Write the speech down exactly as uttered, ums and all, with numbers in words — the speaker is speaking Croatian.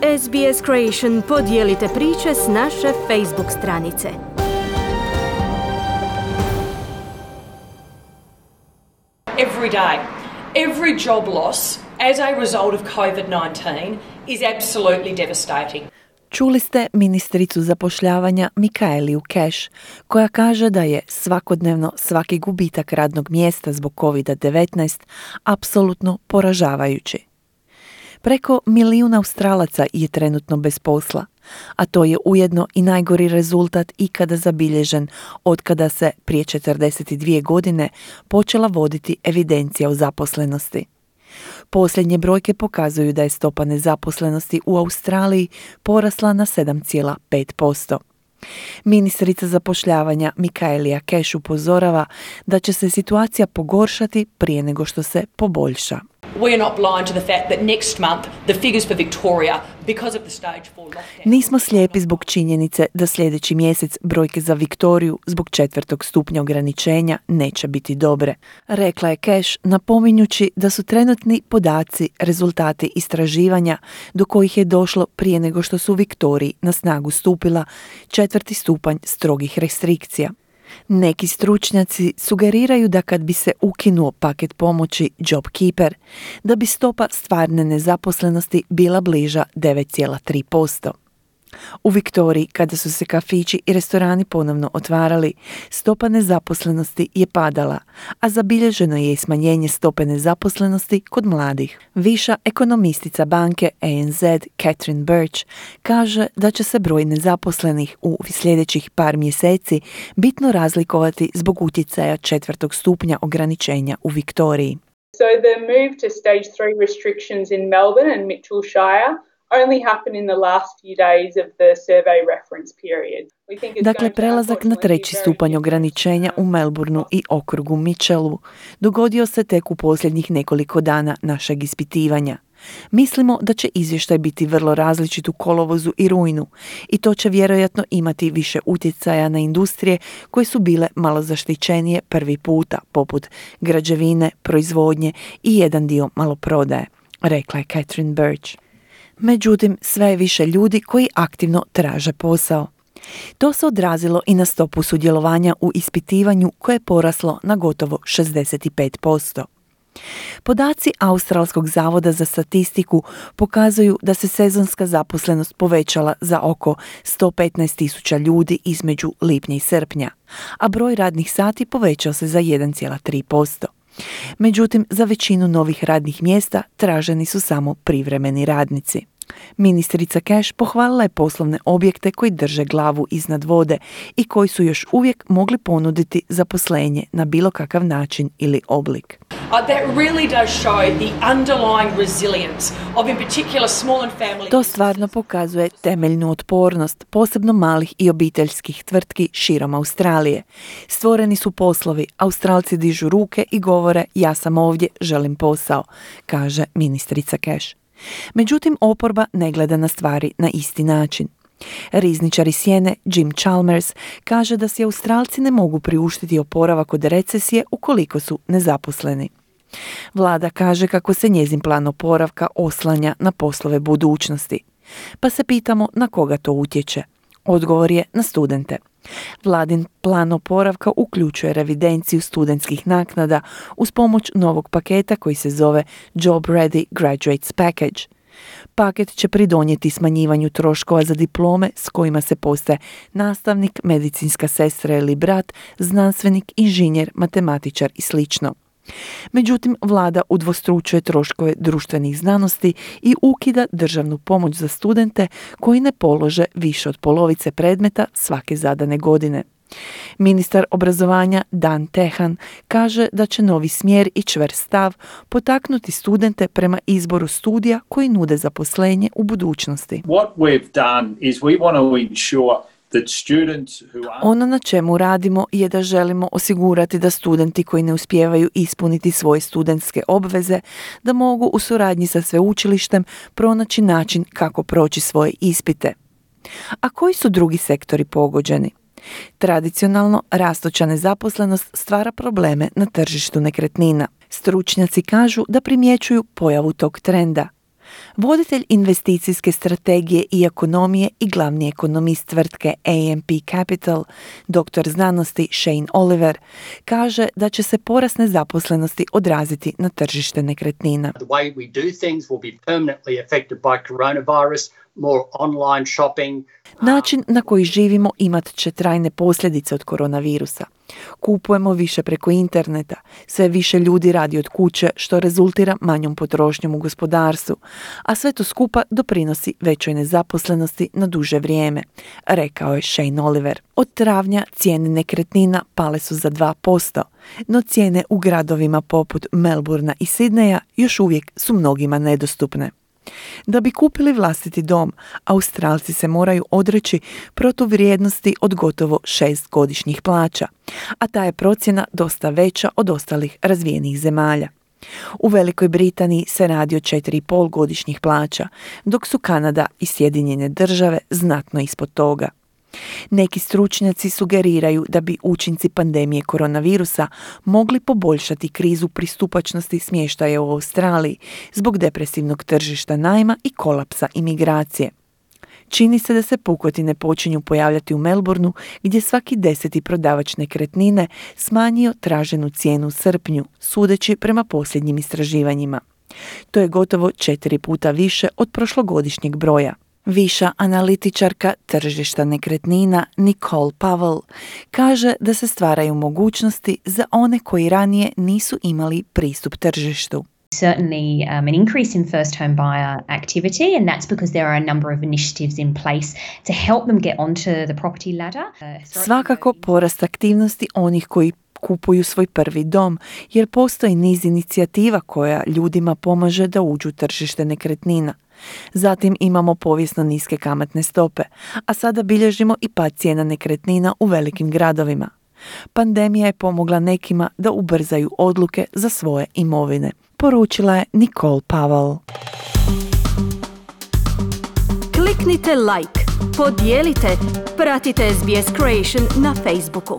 S B S Creation podijelite priče s naše Facebook stranice. Every day, every job loss as a result of covid nineteen is absolutely devastating. Čuli ste ministricu zapošljavanja Michaelu Cash, koja kaže da je svakodnevno svaki gubitak radnog mjesta zbog covid devetnaest apsolutno poražavajući. Preko milijun Australaca je trenutno bez posla, a to je ujedno i najgori rezultat ikada zabilježen otkada se prije četrdeset dvije godine počela voditi evidencija o zaposlenosti. Posljednje brojke pokazuju da je stopa nezaposlenosti u Australiji porasla na sedam zarez pet posto. Ministrica zapošljavanja Michaela Cash upozorava da će se situacija pogoršati prije nego što se poboljša. We are not blind to the fact that next month the figures for Victoria, because of the stage four lockdown... Nismo slijepi zbog činjenice da sljedeći mjesec brojke za Viktoriju zbog četvrtog stupnja ograničenja neće biti dobre, rekla je Cash, napominjući da su trenutni podaci rezultati istraživanja do kojih je došlo prije nego što su u Viktoriji na snagu stupila četvrti stupanj strogih restrikcija. Neki stručnjaci sugeriraju da kad bi se ukinuo paket pomoći JobKeeper, da bi stopa stvarne nezaposlenosti bila bliža devet zarez tri posto. U Viktoriji, kada su se kafići i restorani ponovno otvarali, stopa nezaposlenosti je padala, a zabilježeno je i smanjenje stope nezaposlenosti kod mladih. Viša ekonomistica banke A N Z, Catherine Birch, kaže da će se broj nezaposlenih u sljedećih par mjeseci bitno razlikovati zbog utjecaja četvrtog stupnja ograničenja u Viktoriji. So the move to stage three restrictions in Melbourne and Mitchell Shire only happened in the last few days of the survey reference period. Dakle, prelazak na treći stupanj ograničenja u Melbourneu i okrugu Mitchellu dogodio se tek u posljednjih nekoliko dana našeg ispitivanja. Mislimo da će izvještaj biti vrlo različit u kolovozu i rujnu i to će vjerojatno imati više utjecaja na industrije koje su bile malo zaštićenije prvi puta, poput građevine, proizvodnje i jedan dio maloprodaje, rekla je Catherine Birch. Međutim, sve je više ljudi koji aktivno traže posao. To se odrazilo i na stopu sudjelovanja u ispitivanju koje je poraslo na gotovo šezdeset pet posto. Podaci Australskog zavoda za statistiku pokazuju da se sezonska zaposlenost povećala za oko sto petnaest tisuća ljudi između lipnja i srpnja, a broj radnih sati povećao se za jedan zarez tri posto. Međutim, za većinu novih radnih mjesta traženi su samo privremeni radnici. Ministrica Cash pohvalila je poslovne objekte koji drže glavu iznad vode i koji su još uvijek mogli ponuditi zaposlenje na bilo kakav način ili oblik. Uh, that really does show the underlying resilience of in particular small and family. To stvarno pokazuje temeljnu otpornost, posebno malih i obiteljskih tvrtki širom Australije. Stvoreni su poslovi, Australci dižu ruke i govore ja sam ovdje, želim posao, kaže ministrica Cash. Međutim, oporba ne gleda na stvari na isti način. Rizničar iz Sjene Jim Chalmers kaže da si Australci ne mogu priuštiti oporavak od recesije ukoliko su nezaposleni. Vlada kaže kako se njezin plan oporavka oslanja na poslove budućnosti. Pa se pitamo na koga to utječe. Odgovor je na studente. Vladin plan oporavka uključuje revidenciju studentskih naknada uz pomoć novog paketa koji se zove Job Ready Graduates Package. Paket će pridonijeti smanjivanju troškova za diplome s kojima se postaje nastavnik, medicinska sestra ili brat, znanstvenik, inženjer, matematičar i slično. Međutim, vlada udvostručuje troškove društvenih znanosti i ukida državnu pomoć za studente koji ne polože više od polovice predmeta svake zadane godine. Ministar obrazovanja Dan Tehan kaže da će novi smjer i čvrst stav potaknuti studente prema izboru studija koji nude zaposlenje u budućnosti. What we've done is we want to ensure Ono na čemu radimo je da želimo osigurati da studenti koji ne uspijevaju ispuniti svoje studentske obveze, da mogu u suradnji sa sveučilištem pronaći način kako proći svoje ispite. A koji su drugi sektori pogođeni? Tradicionalno, rastuća nezaposlenost stvara probleme na tržištu nekretnina. Stručnjaci kažu da primjećuju pojavu tog trenda. Voditelj investicijske strategije i ekonomije i glavni ekonomist tvrtke A M P Capital, doktor znanosti Shane Oliver, kaže da će se porast nezaposlenosti odraziti na tržište nekretnina. The way we do things will be permanently affected by coronavirus, more online shopping. Način na koji živimo imat će trajne posljedice od koronavirusa. Kupujemo više preko interneta, sve više ljudi radi od kuće što rezultira manjom potrošnjom u gospodarstvu, a sve to skupa doprinosi većoj nezaposlenosti na duže vrijeme, rekao je Shane Oliver. Od travnja cijene nekretnina pale su za dva posto, no cijene u gradovima poput Melbournea i Sidneja još uvijek su mnogima nedostupne. Da bi kupili vlastiti dom, Australci se moraju odreći protuvrijednosti od gotovo šest godišnjih plaća, a ta je procjena dosta veća od ostalih razvijenih zemalja. U Velikoj Britaniji se radi o četiri i pol godišnjih plaća, dok su Kanada i Sjedinjene države znatno ispod toga. Neki stručnjaci sugeriraju da bi učinci pandemije koronavirusa mogli poboljšati krizu pristupačnosti smještaja u Australiji zbog depresivnog tržišta najma i kolapsa imigracije. Čini se da se pukotine počinju pojavljati u Melbourneu, gdje svaki deseti prodavač nekretnine smanjio traženu cijenu u srpnju, sudeći prema posljednjim istraživanjima. To je gotovo četiri puta više od prošlogodišnjeg broja. Viša analitičarka tržišta nekretnina Nicole Powell kaže da se stvaraju mogućnosti za one koji ranije nisu imali pristup tržištu. Certainly um, an increase in first home buyer activity, and that's because there are a number of initiatives in place to help them get onto the property ladder. Uh, Svakako porast aktivnosti onih koji kupuju svoj prvi dom, jer postoji niz inicijativa koja ljudima pomaže da uđu u tržište nekretnina. Zatim imamo povijesno niske kamatne stope, a sada bilježimo i pad cijena nekretnina u velikim gradovima. Pandemija je pomogla nekima da ubrzaju odluke za svoje imovine, poručila je Nicole Powell. Kliknite like, podijelite, pratite S B S Creation na Facebooku.